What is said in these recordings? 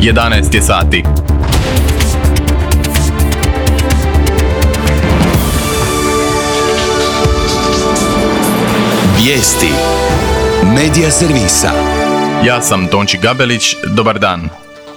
11 je sati. Vijesti Medija servisa. Ja sam Tonči Gabelić, dobar dan.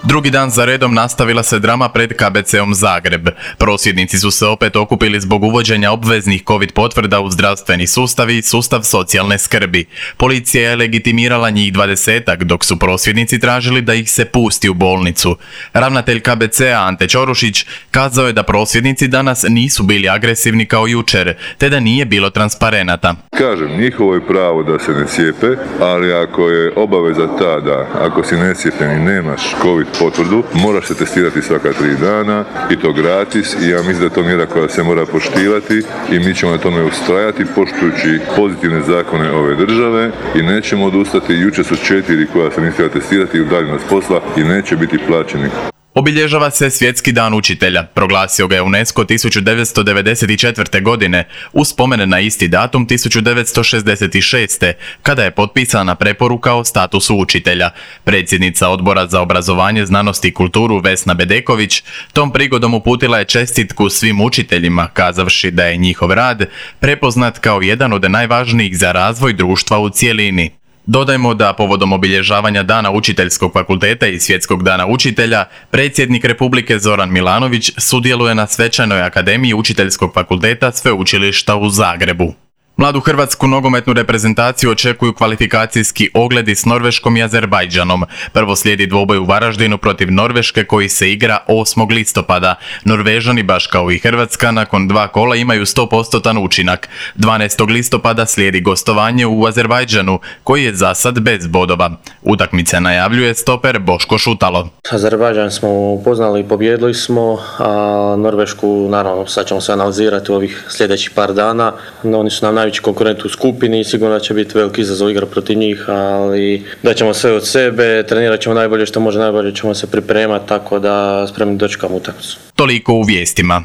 Drugi dan za redom nastavila se drama pred KBC-om Zagreb. Prosvjednici su se opet okupili zbog uvođenja obveznih COVID potvrda u zdravstveni sustav i sustav socijalne skrbi. Policija je legitimirala njih 20-ak, dok su prosvjednici tražili da ih se pusti u bolnicu. Ravnatelj KBC-a Ante Ćorušić kazao je da prosvjednici danas nisu bili agresivni kao jučer, te da nije bilo transparenata. Kažem, njihovo je pravo da se ne cijepe, ali ako je obaveza ta da ako si necijepljen i nemaš COVID potvrdu, moraš se testirati svaka 3 dana i to gratis i ja mislim da je to mjera koja se mora poštivati i mi ćemo na tome ustrajati poštujući pozitivne zakone ove države i nećemo odustati. Jučer su 4 koja se nisu htjela testirati i udaljeno s posla i neće biti plaćeni. Obilježava se Svjetski dan učitelja. Proglasio ga je UNESCO 1994. godine uz spomen na isti datum 1966. kada je potpisana preporuka o statusu učitelja. Predsjednica Odbora za obrazovanje, znanost i kulturu Vesna Bedeković tom prigodom uputila je čestitku svim učiteljima, kazavši da je njihov rad prepoznat kao jedan od najvažnijih za razvoj društva u cjelini. Dodajmo da povodom obilježavanja Dana učiteljskog fakulteta i Svjetskog dana učitelja, predsjednik Republike Zoran Milanović sudjeluje na svečanoj akademiji učiteljskog fakulteta Sveučilišta u Zagrebu. Mladu hrvatsku nogometnu reprezentaciju očekuju kvalifikacijski ogledi s Norveškom i Azerbajdžanom. Prvo slijedi dvoboj u Varaždinu protiv Norveške koji se igra 8. listopada. Norvežani, baš kao i Hrvatska, nakon 2 kola imaju 100% učinak. 12. listopada slijedi gostovanje u Azerbajdžanu koji je za sad bez bodova. Utakmice najavljuje stoper Boško Šutalo. Azerbajdžan smo upoznali i pobjedili smo, a Norvešku naravno sad ćemo se analizirati u ovih sljedećih par dana. Oni su nam najveći konkurent u skupini i sigurno da će biti veliki izazov igra protiv njih, ali daćemo sve od sebe, trenirat ćemo najbolje što može, najbolje ćemo se pripremati, tako da spremni dočekamo utakmicu. Toliko u vijestima.